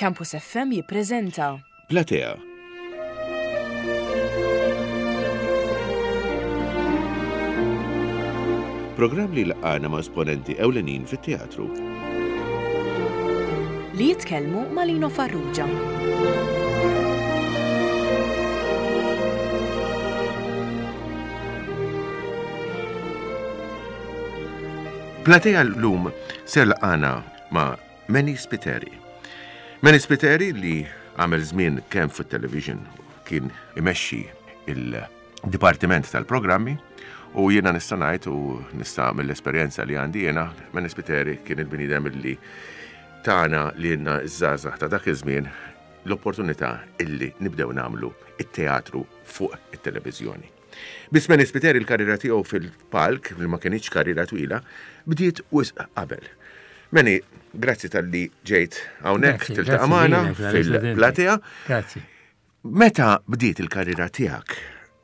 Campus FM jippreżenta. Platea. Programm li jlaqqagħna ma' esponenti ewlenin fit-teatru. Li jitkellmu ma' Lino Farrugia. Platea llum ser laqgħana ma' Manny Spiteri. Manny Spiteri li għamel żmien kemm fit-television kien imexxi il-dipartiment tal-programmi u jiena nista' ngħid u nista' mill-esperjenza li għandi jiena Manny Spiteri kien il-bniedem li tana lilna ż-żgħażagħ ta' dak iż-żmien l-opportunità illi nibdew nagħmlu it-teatru fuq it-televiżjoni. Biss Manny Spiteri l-karriera tiegħu fil-palk, li ma kinitx karriera twila, bdiet wisq qabel. Manny, grazzi talli ġejt hawnhekk tiltaqa' magħna fil-platea. Grazzi. Meta bdiet il-karriera tiegħek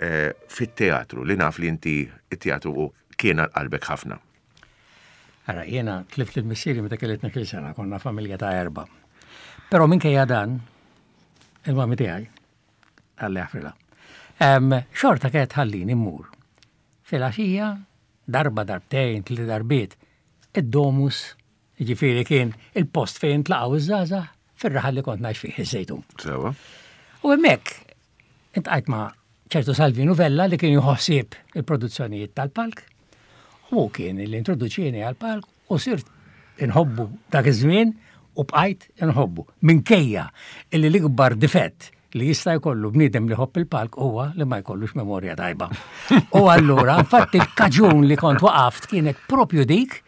eh, fit-teatru li naf li inti it-teatru kien għal qalbek ħafna? Ara, jiena tlift il-missieri meta kelli 12 sena, konna familja ta' erba. Però minkejja dan, il-mami tiegħi, Alla jaħfrilha. Xorta kienet tħallini mmur. Filgħaxija, darba, darbtejn, tliet darbiet, id-domus, jiġifieri kien il-post fejn intlaqgħu ż-żgħażagħ fir-raħal li kont ngħix fih, iż-Żejtun. Sewwa. U hemmhekk intqajt ma' ċertu Salvinu Vella li kien jieħu ħsieb il-produzzjonijiet tal-palk. U hu kien li introduċieni għall-palk U sirt inħobbu dak iż-żmien u bqajt inħobbu. Minkejja illi l-ikbar difett li jista' jkollu bniedem li jħobb il-palk huwa li ma jkollux memorja tajba. U allura, infatti il-kaġun li kont waqaft kienet propju dik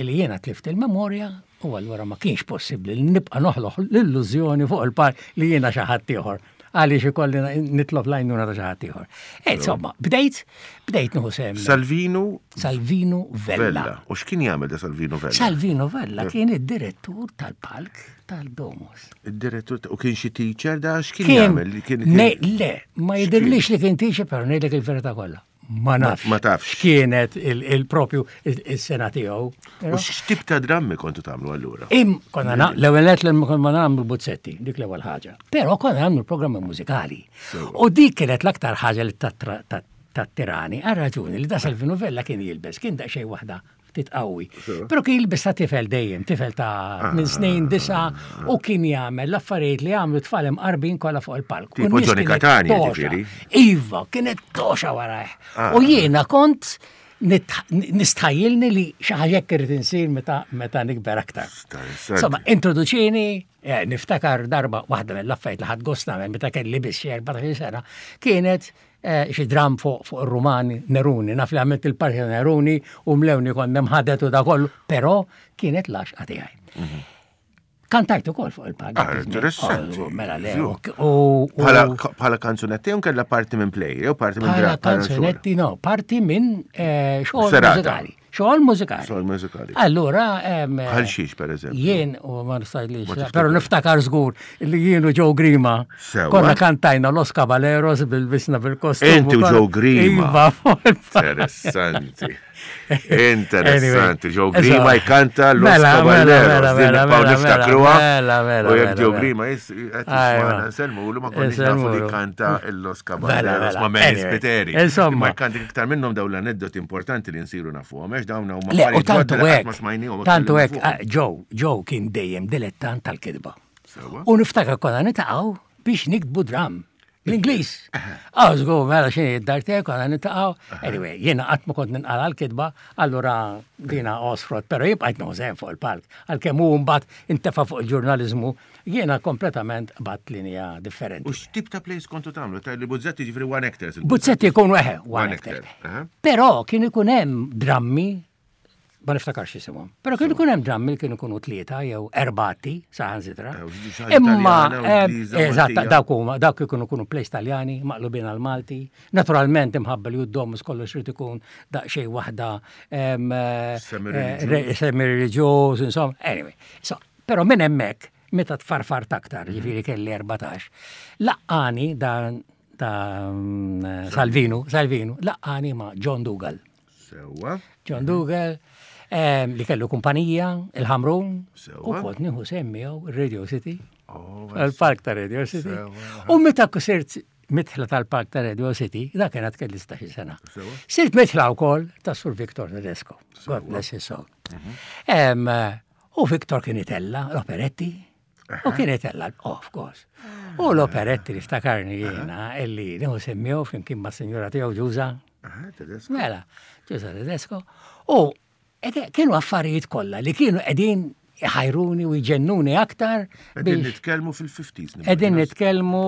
li jiena tlift il-memorja u allura ma kienx possibbli li nibqa' noħloq l-illużjoni fuq il-palk li jiena xi ħadd ieħor għaliex ikolli nitlob l-għajnuna ta' xi ħadd ieħor. Eh, insomma, bdejt, bdejt nieħu sehem. Salvinu Salvinu Vella. U x'kien jagħmel da Salvino Vella? Salvino Vella kien id-direttur tal-palk tal-Domus. Id-direttur u kien xi teacher da x'kien jagħmel? Le, ma jidhirlix li kien teacher però ngħidlek il-verità kollha. Ma nafx. Ma tafx. X'kienet il-propju il-sena tiegħu. U x'tip ta' drammi kontu tagħmlu allura? Im, konna l-ewwel qed li konna nagħmlu buzzetti, dik l-ewwel ħaġa. Però konna nagħmlu programmi mużikali. U dik kienet l-aktar ħaġa li tattirani, għal raġuni li da Salvino Vella kien jilbes, kien daqsxejn waħda ftit qawwi. Però kien jilbes ta' tifel dejjem, tifel ta' minn snin disa u kien jagħmel l-affarijiet li jagħmlu tfal imqarbin kollha fuq il-palk. Tipo Johnny Catania, ġifieri. Iva, kienet toxa warajh. Ah. U jiena kont nistħajjilni li xi ħaġa hekk irid insir meta meta nikber aktar. Insomma, introduċini, eh, niftakar darba waħda mill-affarijiet li ħadd gost nagħmel meta kelli biss xi 14 sena, kienet Eh, xi dram fuq fuq ir-Rumani Neruni, naf li għamilt il-parti ta' Neruni u mlewni kont nemħadet u da kollu, però kienet l-għaxqa tiegħi. Mhm. Kantajt ukoll fuq il-palk. Ah, interessanti. Oh, mela le. Bħala kanzunetti jew kellha parti minn play jew parti minn Bħala kanzunetti no, parti minn eh, xogħol mużikali. Xogħol mużikali. Xogħol mużikali. Allura. Bħal xiex, per eżempju. Jien, u ma nistajlix, pero niftakar żgur li jien u Joe Grima. Konna kantajna Los Caballeros bil-bisna bil-kostum. Inti u Joe Grima. Iva, Interessanti. Interessanti. Joe Grima jkanta Los mela, mela, Caballeros. Mela, mela, niftakruha. Mela, mela. U jekk Joe Grima jisselmu ma konniex nafu li kanta Los Caballeros ma Mary Spiteri. Insomma. Ma jkanti iktar minnhom dawn l-aneddoti importanti li nsiru nafuhom, għax dawn huma Le, u tantu hekk. Tantu hekk, ah, Joe, Joe kien dejjem dilettant tal-kitba. U niftakar konna nitaqgħu biex niktbu dram. L-Ingliż. Ah, żgur, mela xini id-dar tiegħi konna nitaqgħu. Anyway, jiena qatt ma kont ninqala l-kitba, allura dina osfrot, però jien bqajt nożen fuq il-palk. Għalkemm hu mbagħad intefa' fuq il-ġurnaliżmu, jiena kompletament qbadt linja differenti. U x'tip ta' plays kontu tagħmlu? Ta' li Buzzetti ġifieri one actors. Buzzetti jkunu eħe, one actor. Però kien ikun hemm drammi ma niftakarx jisimhom. Però kien ikun hemm drammi li kienu jkunu tlieta jew erbati saħansitra. Eh, Imma eh, eżatt dawk huma dawk ikunu kunu plays Taljani maqlubin għal Malti. Naturalment imħabba li d-domus kollox irid ikun daqsxejn waħda eh, semi-reliġjuż, insomma. Anyway, so, però minn hemmhekk meta tfarfart aktar, ġifieri kelli 14, laqqani dan ta' mm, Salvinu, Salvinu, laqqani ma' John Dougal. Sewwa. John Dougal, li kellu kumpanija, il-Ħamrun, u kont nieħu sehem miegħu Radio City. Oh, Tal-Park ta' Radio City. U meta sirt mitħla tal-Park ta' Radio City, da kienet kelli 16 sena. Sirt mitħla wkoll ta' Sur Victor Tedesco. God bless his soul. Mhm. U Victor kien itella l-operetti. U kien itella, of course. U l-operetti li ftakarni jiena illi nieħu semmiju flimkien ma' sinjura tiegħu Ġuża. Mela, Ġuża Tedesco. U Kienu affarijiet kollha li kienu qegħdin iħajruni u jġennuni aktar. Qegħdin nitkellmu fil-50s. Qegħdin nitkellmu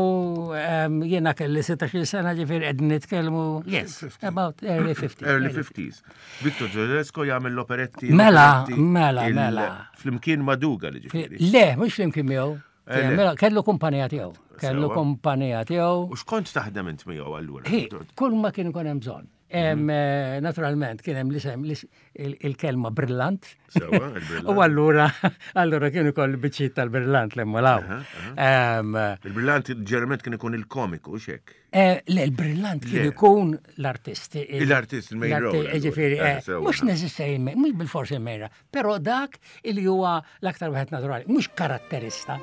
ehm, jiena kelli 16 sena ġifieri qegħdin nitkellmu yes, about early 50s. Early 50s. Victor Tedesco jagħmel l-operetti. Mela, mela, mela. Flimkien ma' Duga li ġifieri. Le, mhux flimkien miegħu. Eh, mela, kellu kumpanija tiegħu. Kellu kumpanija tiegħu. U x'kont taħdem int miegħu allura? Kull ma kien ikun hemm bżonn. Mhm. Eh, naturalment, kien hemm l-isem il-kelma brillant. U allura, allura kienu koll biċċiet tal-brillant li mmolaw. Il-brillant ġerment kien ikun il-komiku, xek? Eh, le, il-brillant kien ikun l-artist. L-artist, il-main role. Ġifieri, eh, mhux neżistej, mhux bil-forsi il-main Però dak li huwa l-aktar wieħed naturali, mhux karatterista.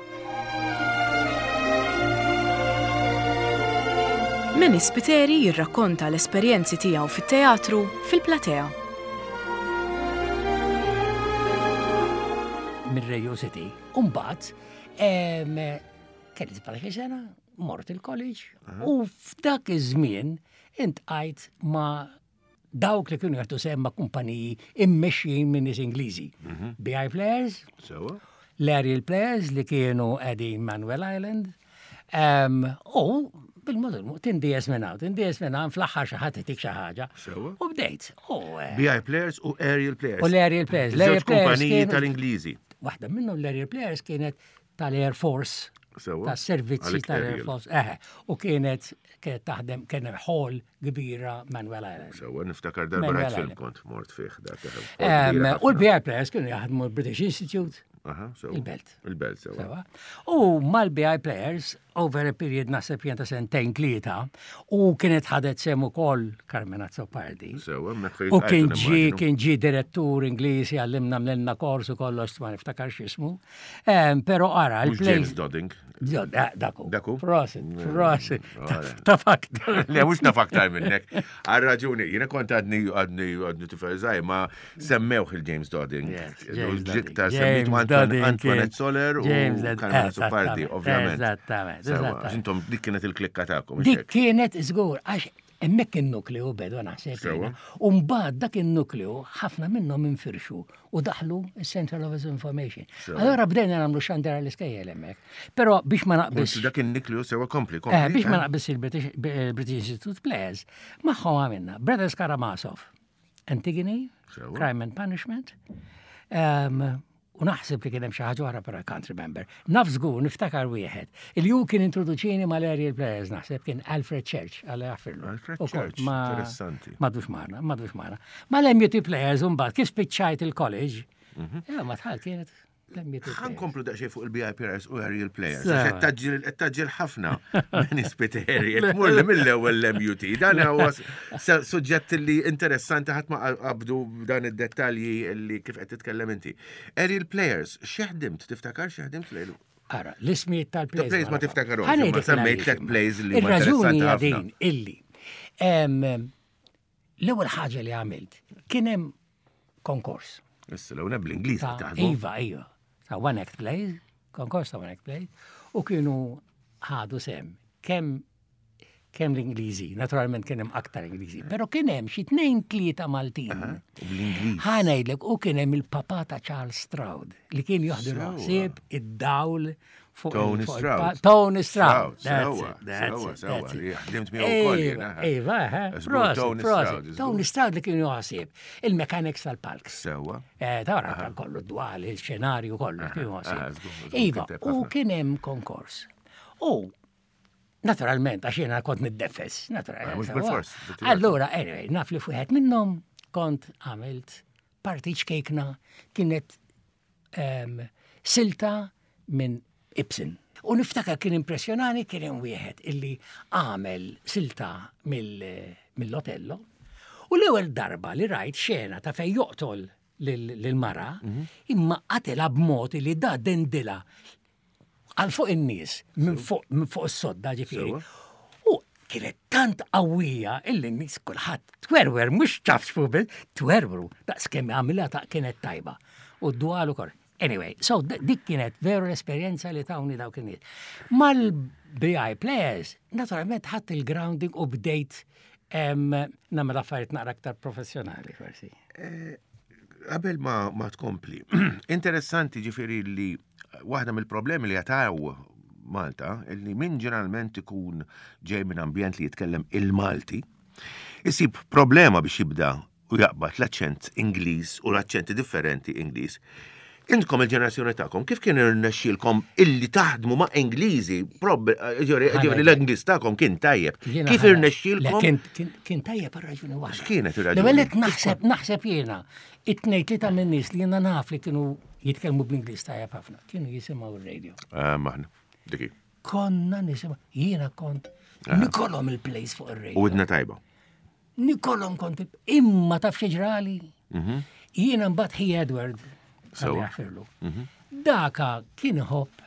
Manny Spiteri jirrakkonta l-esperjenzi tiegħu fit-teatru fil-platea. Mir-Radio City. Umbagħad kelli 17 sena, mort il-college u f'dak iż-żmien intqajt ma' dawk li kienu jagħtu sehem ma' kumpaniji immexxijin minn nies Ingliżi. Mhm. BI Players, l-Aerial Players li kienu qegħdin Manuel Island, u bil-mod il-mod tindies minn hawn, tindies minn hawn fl-aħħar xi ħadd itik xi ħaġa. U bdejt. Eh, BI Players u Aerial Players. U l-Aerial Players. L-Aerial Players tal-Ingliżi. Waħda minnhom l-Aerial Players kienet tal-Air Force. Tas-servizzi tal-Air Force. Eħe. U kienet kienet taħdem kien hemm hall kbira Manuel Island. Sewa, niftakar darba rajt film kont mort fih dak. U l-BI Players kienu jaħdmu l-British Institute. Il-Belt. Il-Belt, sewa. U mal-BI Players, over a period naħseb jien ta' sentejn tlieta, u kienet ħadet sem ukoll Carmen Azzopardi. Sewa, U kien ġi kien ġi direttur Ingliż għallimna mlenna kors u kollox ma niftakarx ismu. Pero ara, il-play. James Dodding. Daku. Daku. Prosit, mm. prosit. Taf aktar. Le, mux naf aktar minnek. Għal raġuni, jina kont għadni għadni għadni tifel zaħi, ma semmewħ il-James Dodding. Ġikta semmitu Antoinette Soler u Carmen Supardi, ovvjament. Eżattament. Intom dik kienet il-klikka ta'kom. Dik kienet żgur, għax hemmhekk in-nukleu bedu naħseb. U mbagħad dak in-nukleu ħafna minnhom infirxu u daħlu il-Central Office of Information. Allora bdejna nagħmlu xandara l-iskejjel hemmhekk. Però biex ma naqbis. Dak in-nukleu sewa kompli, kompli. Eh, biex ma eh? naqbis il-British Institute Players, magħhom għamilna Brothers Karamazov, Antigone, Crime and Punishment, um, U naħseb li kien hemm xi ħaġa oħra però I can't remember. Naf żgur niftakar wieħed. Il ju kien introduċini mal-Aerial Players naħseb kien Alfred Church għal jaffirlu. Alfred Church, interessanti. Madux magħna, madux magħna. Mal-MUT Players mbagħad kif spiċċajt il-college, mhm. eh, ma tħal kienet Għan komplu daqxej fuq il-BIPRS u Aerial Players. Qed taġġel ħafna minn ispiteri, qed tmur li mill-ewwel l-MUT. Dan huwa suġġett li interessanti ħadd ma qabdu dan id-dettalji li kif qed titkellem inti. Aerial Players, xi ħdimt, tiftakar xi ħdimt lejlu? Ara, l-ismijiet tal-plays. Plays ma tiftakarhomx, ma semmejt tliet plays li huma interessanti ħafna. din illi l-ewwel ħaġa li għamilt kien hemm konkors. Issa l-ewwel bl-Ingliż taħdmu. Iva, iva. Ta' one act plays, konkors ta' one act plays, u kienu ħadu sem kemm kemm l-Ingliżi, naturalment kien hemm aktar Ingliżi, però kien hemm xi tnejn tlieta Maltin. Bl-Ingliż. Ħa ngħidlek u kien hemm il-papà ta' Charles Stroud li kien joħdu ħsieb id-dawl fuq Tony Stroud. Tony Stroud. Sewa, sewa, sewa. Ħdimt miegħu wkoll jiena. Iva, Tony Stroud. Tony Stroud li kien joħsib il-mechanics tal-palk. Sewa. Eh, tara kollu dwal, il-xenarju kollu kien joħsib. Iva, u kien hemm konkors. U Naturalment, għax jiena kont niddefes, naturalment. Ah, mhux bil-fors. Allura, anyway, naf li fuħet minnhom kont għamilt parti ċkejkna kienet um, silta minn Ibsen. U niftakar kien impressjonani kien hemm wieħed illi għamel silta mill-Otello. U l-ewwel darba li rajt xena ta' fejn joqtol lill-mara, mhm. imma qatela b'mod li da dendila. Għal fuq in-nies, minn fuq minn fuq is-sodda ġifieri. U kienet tant qawwija illi n-nies kulħadd twerwer mhux ċafxfu biss, twerwru daqs kemm għamilha ta' kienet tajba. U d-dwal ukoll. Anyway, so dik kienet veru l-esperjenza li tawni dawk in-nies. Mal-BI Players, naturalment ħadd il-grounding u bdejt nagħmel affarijiet naqra aktar professjonali forsi. Eh, qabel ma, ma tkompli, interessanti ġifieri li waħda mill-problemi li jataw Malta, li min ġeneralment ikun ġej minn ambjent li jitkellem il-Malti, isib problema biex jibda u jaqbad l-aċċent Ingliż u l-aċċenti differenti Ingliż. Intkom il-ġenerazzjoni tagħkom kif kien irnexxielkom illi taħdmu ma' Ingliżi, ġifieri l-Ingliż tagħkom kien tajjeb. Kif irnexxielkom? Kien tajjeb għal raġuni waħda. X'kienet ir-raġuni? L-ewwel naħseb naħseb jiena it-tnejn tlieta minn nies li jiena naf li kienu jitkellmu bl-Ingliż tajjeb ħafna, kienu jisimgħu r-radio. Ah, maħna, diki. Konna nisimgħu, jiena kont ah. nikolhom il-place fuq ir-radio. U idna tajba. Nikolhom kont imma taf xi ġrali. Mhm. Jiena mbagħad ħi Edward jaħfirlu. Mhm. Daka kien iħobb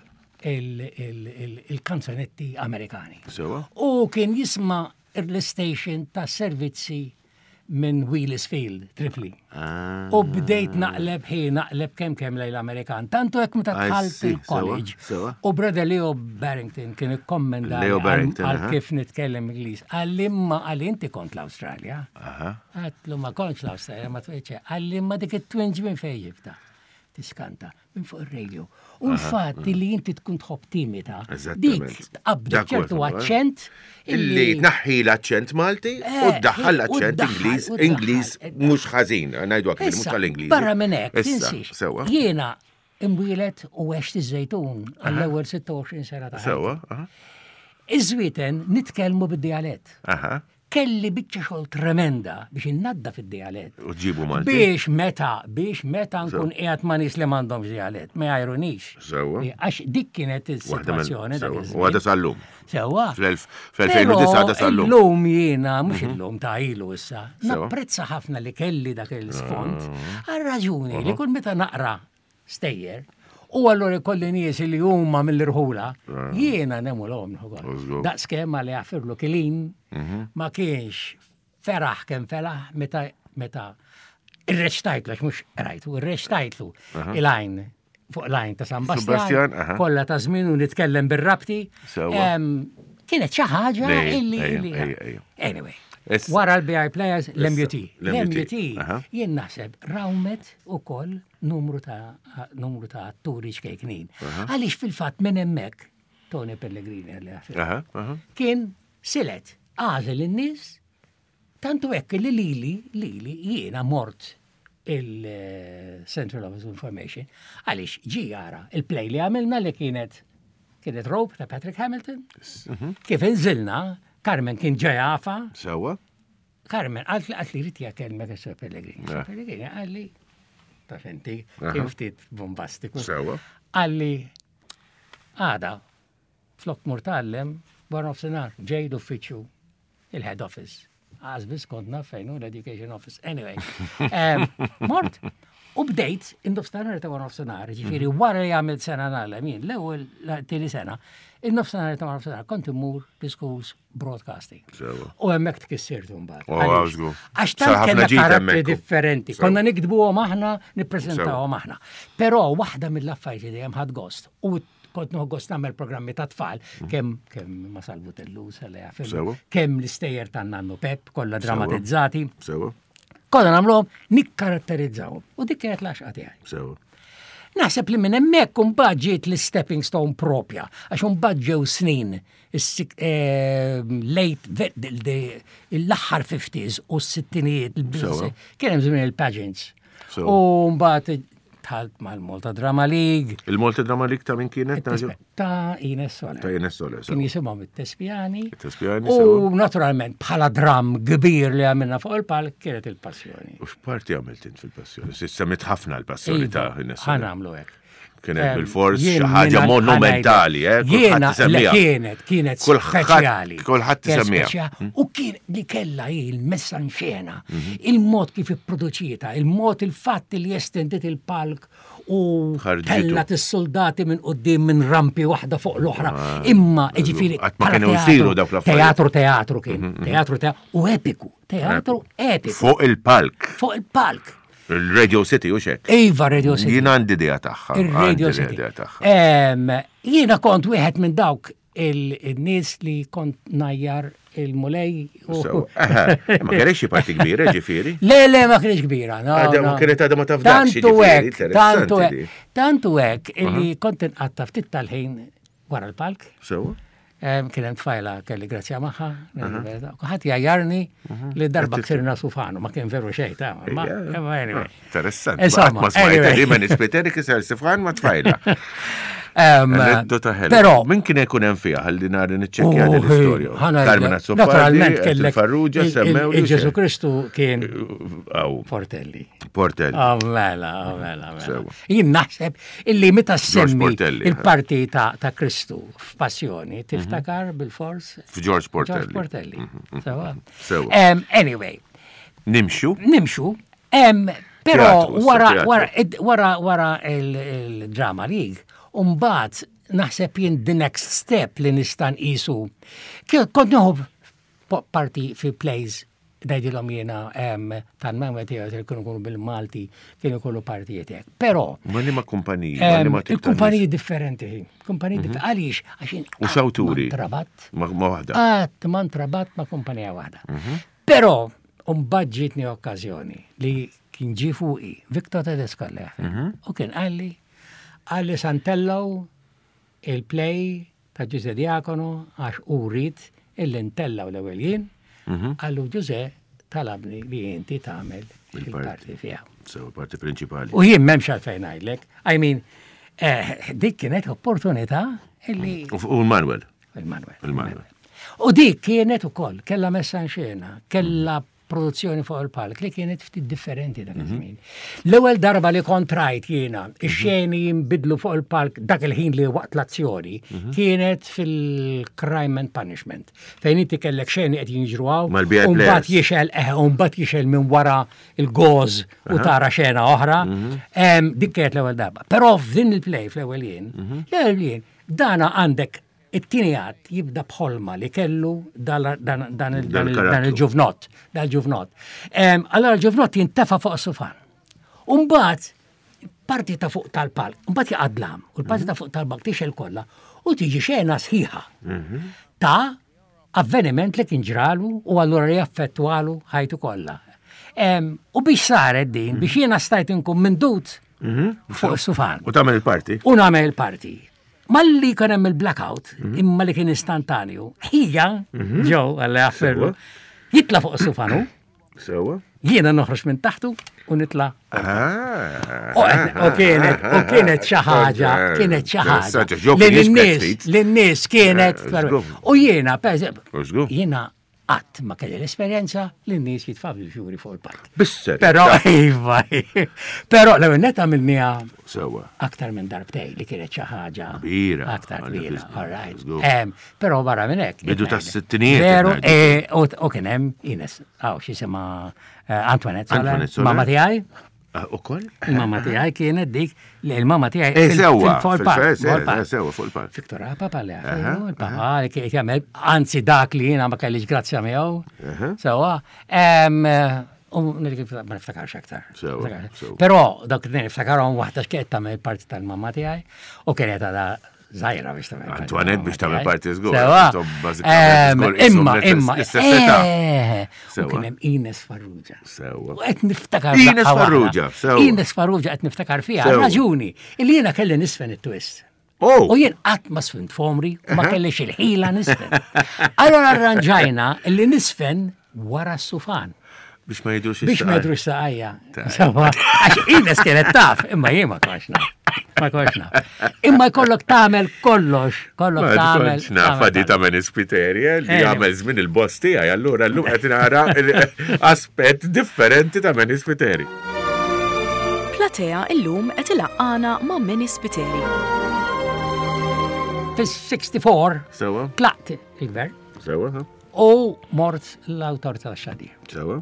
il-kanzonetti Amerikani. U kien jisma' l-station ta' servizzi minn Wheelis Field, Tripli. Ah. U bdejt naqleb ħi naqleb kemm kemm lejn l-Amerikan. Tantu hekk meta dħalt il-college. U brother Leo Barrington kien ikkommenda għal kif nitkellem Ingliż. Għalli imma għalli inti kont l-Awstralja. Għatlu ma kontx l-Awstralja ma tweċe. Għalli imma dik it-twinġ minn fejn ġibta. Tiskanta minn fuq ir-radio. U l-fatt li inti tkun tħobb timita, dik tqabbdek ċertu aċċent. Illi tnaħħi l-aċċent Malti u eh, ddaħħal l-aċċent Ingliż, Ingliż mhux ħażin, ngħidu hekk mhux tal-Ingliż. Barra minn hekk, tinsiex. Jiena imwieled u għext iż-Żejtun għall-ewwel 26 sena ta' Sewwa. Iż-Żwieten nitkellmu bid-dialett. Kelli biċċa xogħol tremenda biex innaddaf id-dialett. U ġibu Malti. Biex meta, biex meta nkun qiegħed ma' nies li m'għandhomx dialett, ma jgħajrunix. Sewwa. Għax dik kienet is-sitwazzjoni. U għadha sal-lum. Sewwa. Fl-2009 għadha sal-lum. Illum jiena, mhux mhm. illum ta' ilu issa, napprezza ħafna li kelli dak il-sfond ah. għal raġuni li kull meta naqra stejjer, u allura jkolli nies li huma mill-irħula, ah. jiena nemulhom Daqs kemm li jaffirlu kilin mhm. ma kienx feraħ kemm felaħ meta meta irreċtajtlu, għax mhux rajtu, irreċtajtlu il-għajn fuq l-għajn ta' San Bastian, kollha ta' żmien u nitkellem bir-rabti. Kienet xi ħaġa illi. Anyway. Wara l-BI Players, l-MUT. L-MUT, jien naħseb rawmet ukoll numru ta' numru ta' atturi ċkejknin. Għaliex fil-fatt minn hemmhekk Tony Pellegrini għalli kien silet għażel in-nies tantu hekk li lili lili jiena mort il-Central Office of Information għaliex ġi jara il-play li għamilna li kienet kienet Rope ta' Patrick Hamilton. Mhm. Kif inżilna, Carmen kien ġejafa. Sewa. Carmen, għalt li għalt li rrit jakellmek il-Sir Pellegrini. Sir Pellegrini għalli, taf inti, kien ftit bombastiku. Sewa. Għalli, għada, flok mur tgħallem, wara nofsinhar, ġej l-uffiċċju, il-head office. Għaz biss kont naf fejn hu l-education office. Anyway, mort, u bdejt in-nofsinhar ta' wara nofsinhar, ġifieri mhm. wara li għamilt sena nagħlem jien, l-ewwel tieni sena, in-nofsinhar ta' wara nofsinhar kont immur l-schools broadcasting. U hemmhekk tkissirtu mbagħad. Oh, Għax tant kellna karattri differenti. Konna nikdbuhom aħna, nippreżentawhom aħna. Però waħda mill-affarijiet li dejjem ħadd gost u kont nieħu gost nagħmel programmi ta' tfal, mm. kemm kemm ma salvu tellu kemm l-istejjer ta' Nannu Pep, kollha dramatizzati. Sewa. Kollha nagħmluhom nikkaratterizzawhom. U dik kienet l-għaxqa tiegħi. Sewa. Naħseb li minn hemmhekk imbagħad ġiet l-stepping stone propja, għax imbagħad ġew snin eh, late l-aħħar 50s u s-sittinijiet, kien hemm żmien il-pageants. U mbagħad tħalt mal-Malta Drama League. Il-Malta Drama League ta' min kienet? Ta' Ines Soler. Ta' Ines Soler. Kien jisimhom it-Tespjani. It-Tespjani. U naturalment bħala dram kbir li għamilna fuq il-palk kienet il-passjoni. U x'parti għamilt int fil-passjoni? Semmit ħafna l-passjoni ta' iva, Ines Soler. Ħanamlu hekk. Kienet bil-fors xi ħaġa monumentali, eh? Jiena kienet, kienet speċjali. Kulħadd isemmiha. Hmm? U kien li kellha hi l-messa xena, mhm. il-mod kif ipproduċieta, il-mod il-fatt li estendiet il-palk u tellat is-soldati minn qudiem minn rampi waħda fuq l-oħra. Ah, Imma ġifieri qatt ma kienu jsiru dawk l-affarijiet. Teatru teatru kien, mhm, mhm. teatru teatru u epiku, teatru epiku. Fuq il-palk. Fuq il-palk. Il-Radio City u xek. Iva, Radio City. Jien għandi idea tagħha. Il-Radio City. Jiena kont wieħed minn dawk il-nies li kont najjar il-mulej. Ma kienx xi parti kbira ġifieri? Le, le, ma kienx kbira. Ma kienet għadha ma tafdax. Tantu hekk, tantu hekk, tantu hekk illi kont inqatta ftit tal-ħin wara l-palk. Sewa. Kien hemm tfajla kelli grazzja magħha, ħadd jgħajjarni li darba ksirna sufanu, ma kien veru xejn ta' ma anyway. Interessanti. Insomma, ma smajt li ma nispiteri kiser sifan ma tfajla. Anedota ħelwa. Però min kien ikun hemm fiha ħalli nhar niċċekkja din l-istorja. Carmen Naturalment kellek Farrugia semmew. Ġesu Kristu kien Portelli. Portelli. Oh, mela, oh, mela, mela. Jien naħseb illi meta semmi il-parti ta' Kristu f'Passjoni, mhm. tiftakar bil-fors? F'George Portelli. George Portelli. Mhm, mhm, Anyway. Nimxu. Nimxu. Però wara wara wara wara il-Drama League, umbagħad naħseb jien the next step li nista' nqisu. Kont nieħu parti fi plays ngħidilhom jiena tal-Manwel Theatre kienu jkunu bil-Malti, kienu jkunu partijiet hekk. Però. Ma liema kumpaniji? Il-kumpaniji differenti. Kumpaniji mhm. differenti. Għaliex? Għax U xawturi? Trabat. Ma waħda. Qatt ma ntrabat ma' kumpanija waħda. Mhm. Però, mbagħad ġietni okkażjoni li kien ġie fuqi Victor Tedesco mhm. u kien qalli qalli santellaw il-play ta' Ġuże Diacono għax hu ried illi ntellgħu l-ewwel jien, mhm. qallu Ġuże talabni li inti tagħmel il-parti fiha. So, parti prinċipali. U jien m'hemmx għalfejn ngħidlek. I mean, eh, dik kienet opportunità illi. U l-Manuel. Il-Manuel. Il-Manuel. U dik kienet ukoll, kella messa xena, kella produzzjoni fuq il-palk li kienet ftit differenti dak iż-żmien. L-ewwel darba li kont rajt jiena ix-xeni jinbidlu fuq il-palk dak il-ħin li waqt l-azzjoni kienet fil-Crime and Punishment. Fejn inti kellek xeni qed jinġru hawn, u mbagħad jixel eh, u mbagħad jixel minn wara il-goż u tara xena oħra. Dik kienet l-ewwel darba. Però f'din il-play fl-ewwel jien, l-ewwel jien dana għandek It-tieni att jibda b'ħolma li kellu dan il-ġuvnott, dal-ġuvnott. Allora l-ġuvnott jintefa' fuq sufan. Umbagħad parti ta' fuq tal-palk, mbagħad jaqadlam, u l-parti ta' fuq tal-palk tixel kollha u tiġi xena sħiħa mhm. ta' avveniment li kien ġralu u allura li jaffettwalu ħajtu kollha. U biex saret din, biex mhm. jiena stajt inkun mindut mhm. fuq sufan. U tagħmel il-parti. U nagħmel il-parti. Malli kien hemm il-blackout, mhm. imma li kien istantanju, ħija, mhm. ġew għalla jafferlu, jitla fuq is-sufanu. Sewa. Jiena noħroġ minn taħtu u nitla. Ah. U kienet, u kienet xi ħaġa, kienet xi ħaġa. Lin-nies, lin-nies kienet. Eh, u jiena, per jiena Qatt ma kelli l-esperjenza li n-nies jitfaw il-fjuri fuq il-palk. Bisser. Però, iva, però l-ewwel net għamilniha Sewa. aktar minn darbtej li kienet xi ħaġa. Kbira. Aktar kbira, all right. Però barra minn hekk. Bidu tas-sittinijiet. Veru, eh, u kien hemm Ines, għaw xi eh, Antoinette Soler, mamma tiegħi. Ah, ukoll? Il-mamma tiegħi kienet dik li il-mamma tiegħi eh, sewwa fil-park. Sewwa fuq il-park. Viktor Papa li il-papa li kien jagħmel anzi dak li jiena ma kellix grazzja miegħu. Sewwa. U ma niftakarx aktar. Però dak li niftakarhom waħda x'kienet tagħmel parti tal-mamma tiegħi u kienet għadha Zaħira biex tagħmel. Antoinette biex tagħmel parti żgur. Imma, imma. Eh, u kien hemm Ines Farrugia. Sewa. U qed niftakar. Ines Farrugia, sewa. Ines Farrugia qed niftakar fiha raġuni illi jiena kelli nisfen it-twist. Oh. U jien qatt ma sfint fomri u ma kellix il-ħila nisfen. Allora arranġajna illi nisfen wara s-sufan. Biex ma jidrux Biex ma jidrux saqajja. Għax Ines kienet taf, imma jien ma kontx naf. Ma kontx naf. Imma jkollok tagħmel kollox, kollok tagħmel. Naf di ta' Menis Piterje li jagħmel żmien il-boss tiegħi, allura llum qed nara aspett differenti ta' Menis Spiteri. Platea illum qed ilaqqana ma' Menis Spiteri. Fis-64 Sewa. Tlaqt il-gvern. Sewa. U mort l-Awtorità tax-Xandir. Sewa.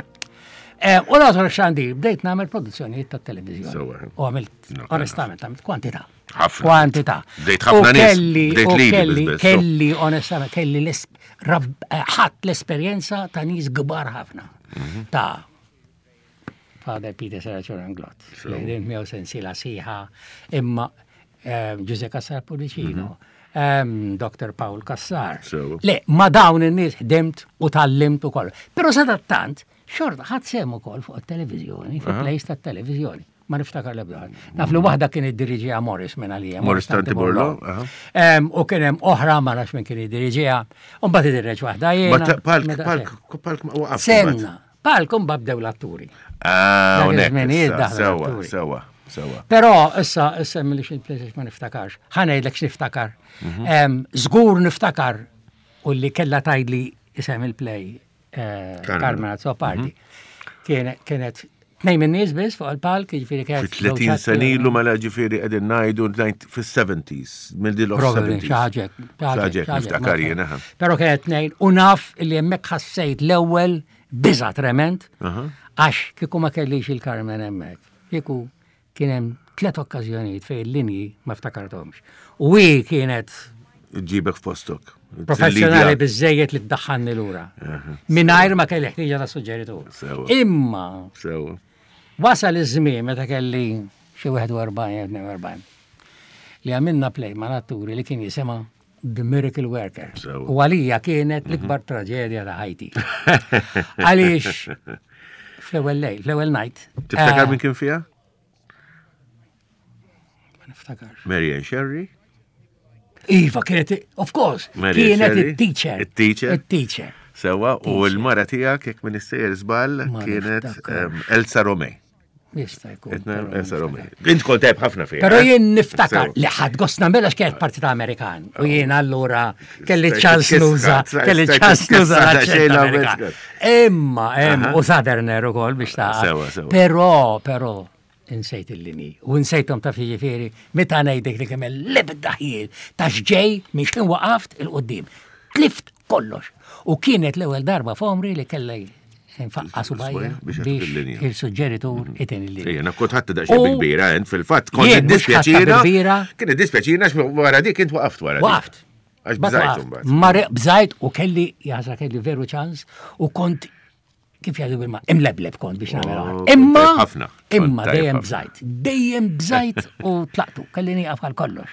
Eh, u l-għazor xandir, bdejt nagħmel produzzjonijiet ta' televizjoni. U għamilt, onestament, għamilt kwantità. Ħafna. Kwantità. Bdejt ħafna nies. Kelli, kelli, kelli, onestament, kelli eh, ħadd l-esperjenza ta' nies kbar ħafna. Mhm. Ta' Father Peter Serraċur Anglot. Li ħdimt miegħu sensiela siħa, imma eh, Ġuże Cassar Pullicino. Mhm. Dr. Paul Cassar. Le, ma dawn in-nies ħdimt u tallimt ukoll. Però sadattant, xorta ħadd sehem ukoll fuq it-televiżjoni, fuq plays tat-televiżjoni. Ma niftakar l-ebda. Naf li waħda kien iddiriġiha Morris minn għalija. Morris Tanti Borlo. U kien hemm oħra ma nafx minn kien iddiriġiha. U mbagħad idirreġ waħda jiena. Palk, palk, palk ma waqaf. Senna. Palk u mbagħad bdew l-atturi. Ah, Sewa, sewa. Sewa. Però issa issa milli xi places ma niftakarx. Ħa ngħidlek x'niftakar. Mhm. Żgur niftakar u li kellha tgħidli isem il-play eh, Carmen Azzopardi. Mhm. Kienet tnejn minn nies biss fuq il-palk, jiġifieri kienet. 30 sena ilu mela ġifieri qegħdin ngħidu fis-70s, mill-dil of 70s. Xaġek, xaġek, niftakar jiena. Però kienet tnejn u naf li hemmhekk ħassejt l-ewwel biża trement għax kieku ma kellix il-Carmen hemmhekk. Kieku Kien hemm tlett okkażjonijiet fejn il-linji ma ftakarthomx. U hi kienet Ġibek f'postok. Professjonali biżejjed li tdaħħalni lura. Mingħajr ma kelli ħtieġa ta' suġġeritur. Imma wasal iż-żmien meta kelli xi 41 jew 42 li għamilna play mal-atturi li kien jisimha The Miracle Worker. U għalija kienet mhm. l-ikbar traġedja ta' ħajti. Għaliex fl-ewwel lejl, fl-ewwel night. Tiftakar eh, min kien fiha? Ma niftakarx. Mary Ann Sherry? Iva, kienet, of course, kienet il-teacher. Il-teacher. Il-teacher. Sewa, u l-mara tijak, jek minn istejjer zbal, kienet ehm, Elsa Romei. Jista' jkun. Int kont tajb ħafna fiha. Però eh? jien niftakar li ħadd gost nagħmilha x'kienet partita Amerikan. U jien allura kelli ċans nuża, kelli ċans nuża l-aċċent Imma, hemm u Southerner ukoll biex ta' Però, però, insejt il-linji. U insejthom ta' jiġifieri meta ngħidlek li kemm l-ebda ħjiel ta' x'ġej minn x'kien waqaft il-qudiem. Tlift kollox. U kienet l-ewwel darba f'għomri li kellha nfaqqa subajja biex il-suġġeritur mhm. iten il-linja. Jena kont ħadd daqsxejn kbira, ent fil-fatt kont iddispjaċina. Kien iddispjaċina wara dik int waqaft wara. Waqaft. Għax bżajt imbagħad. Ma bżajt u kelli jaħsra kelli veru ċans u kont kif jgħidu bil-ma, imlebleb kont biex nagħmel oh, Imma imma dejjem bżajt, dejjem bżajt u tlaqtu, kelli nieqaf għal kollox.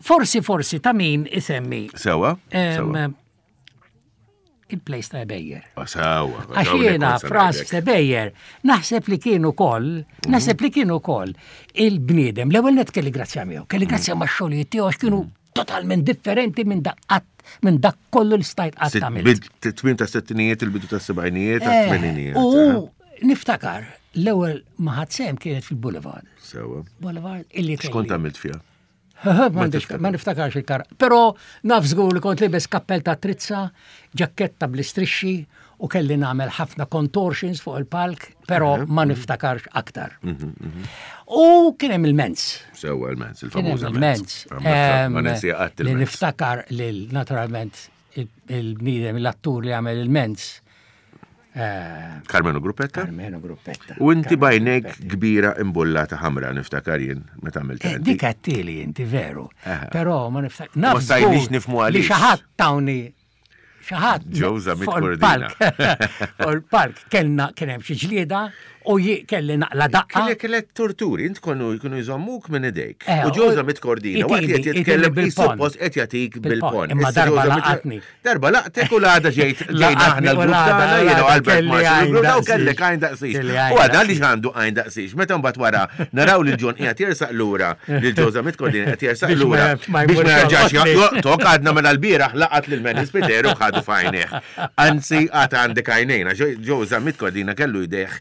Forsi forsi ta' min isemmi. Sewa. Il-place ta' Ebejer. Ah, sewa. Għax jiena Frans Ebejer, naħseb li kien ukoll, mhm. naħseb li kien ukoll il-bniedem, l-ewwel net kelli grazzja miegħu, kelli mhm. grazzja ma' xogħlijiet tiegħu għax kienu mhm. totalment differenti minn dak qatt minn dak kollu li stajt qatt tagħmel. Tmiem ta' settinijiet, il-bidu ta' sebgħinijiet, ta' eh, tmeninijiet. U eh. niftakar l-ewwel ma ħadd sehem kienet fil-Boulevard. Sewa. Boulevard illi X'kont għamilt fiha? Ma niftakarx il-kar. Però naf żgur li kont libes kappell ta' trizza, ġakketta bl-istrixxi u kelli nagħmel ħafna contortions fuq il-palk, però ma niftakarx aktar. Mhm, mhm. U kien hemm il-mens. Sewwa il-mens, il-famuż il-mens. Li niftakar lil naturalment il-bniedem, l-attur li għamel il-mens. Eh, Carmenu Gruppetta? Carmenu Gruppetta. U inti bajnek kbira imbullata ħamra niftakar jien meta għamilt. Eh, dik għattili inti veru. Però ma niftakar. Ma stajniex nifmu għaliex. Li xi ħadd tawni xi ħadd. Ġewża mit-kordina. Fuq il-park kellna kien hemm xi ġlieda U kelli naqla daqqa. Kellek kellek torturi, int konu jkunu jżommuk minn idejk. Eh, u ġewża mit-kordina, waqt li qed jitkellem bil-pon. Qed jagħtik bil-pon. Imma darba laqatni. Darba laqtek u l-għada ġejt ġejna aħna l-grupp tagħna jiena Albert Marshall u kellek għajn daqsix. U għadha li għandu għajn daqsix. Meta mbagħad wara naraw lil John qiegħed jersaq lura, lil ġewża mit-kordina qed jersaq lura biex ma jerġax joqtok għadna mela l-bieraħ laqat lil Manny Spiteri u ħadu f'għajnejh. Anzi, għad għandek għajnejn, għax Joe Zammit Cordina kellu jdejh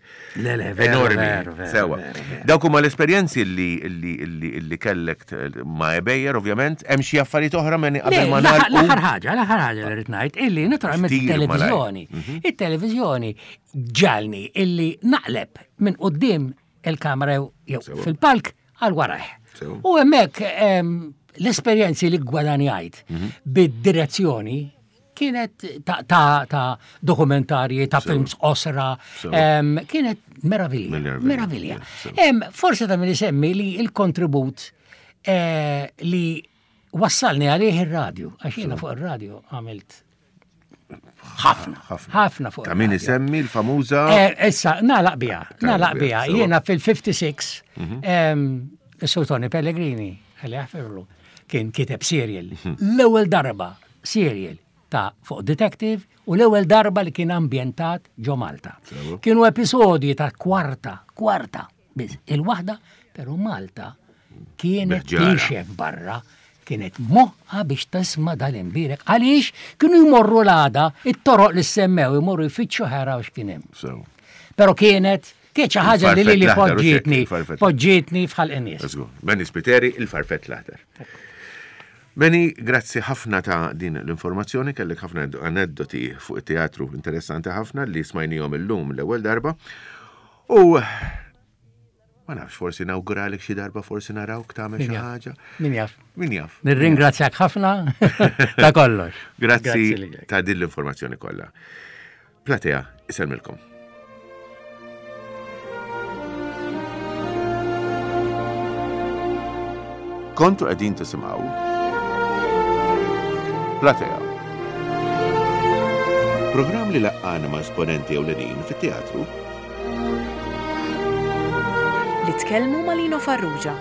enormi. Sewa. Dawk huma l-esperjenzi li li li li kellek ma' Ebejer, ovvjament, hemm xi affarijiet oħra minn qabel ma nagħlqu. L-aħħar ħaġa, l-aħħar ħaġa li rrid ngħid illi naturalment it-televiżjoni, mhm. it-televiżjoni ġalni illi naqleb minn quddiem il-kamra jew fil-palk għal warajh. U hemmhekk l-esperjenzi li gwadanjajt mhm. bid-direzzjoni. Kienet ta', ta, ta dokumentarji, ta' films osra, kienet meravilja. Meravilja. Forse ta' min isemmi li il-kontribut eh, li wassalni għalih ir-radju, għax jiena fuq ir-radju għamilt ħafna, ħafna fuq. Ta' min isemmi l-famuża. Eh, issa, nalaq biha, nalaq biha. Jiena fil-56, mhm. Sur Tony Pellegrini, għalli għafirlu, kien kiteb serial. Mhm. L-ewwel darba serial ta' fuq detective u l-ewwel darba li kien ambjentat ġo Malta. Kienu episodji ta' kwarta, kwarta, biss il-waħda, pero Malta kienet tinxef barra kienet moħħa biex tisma' dal-imbierek għaliex kienu jmorru l-għada it-toroq li semmew imorru jfittxu ħera u x'kien hemm. Però kienet kienet xi ħaġa li lili poġġietni, poġġietni f'ħalq in-nies. Benny Spiteri, il-farfett l-aħdar. Benny, grazzi ħafna ta' din l-informazzjoni, kellek ħafna aneddoti fuq it-teatru interessanti ħafna li smajnihom illum l-ewwel darba. U ma nafx, forsi nawguralek xi darba forsi narawk tagħmel xi ħaġa. Min jaf. Min jaf. Nirringrazzjak ħafna ta' kollox. Grazzi ta' din l-informazzjoni kollha. Platea, isellmilkom. Kontu qegħdin tisimgħu Platea. Programm li laqqana ma' esponenti ewlenin fit-teatru Li tkellmu ma' Lino Farrugia.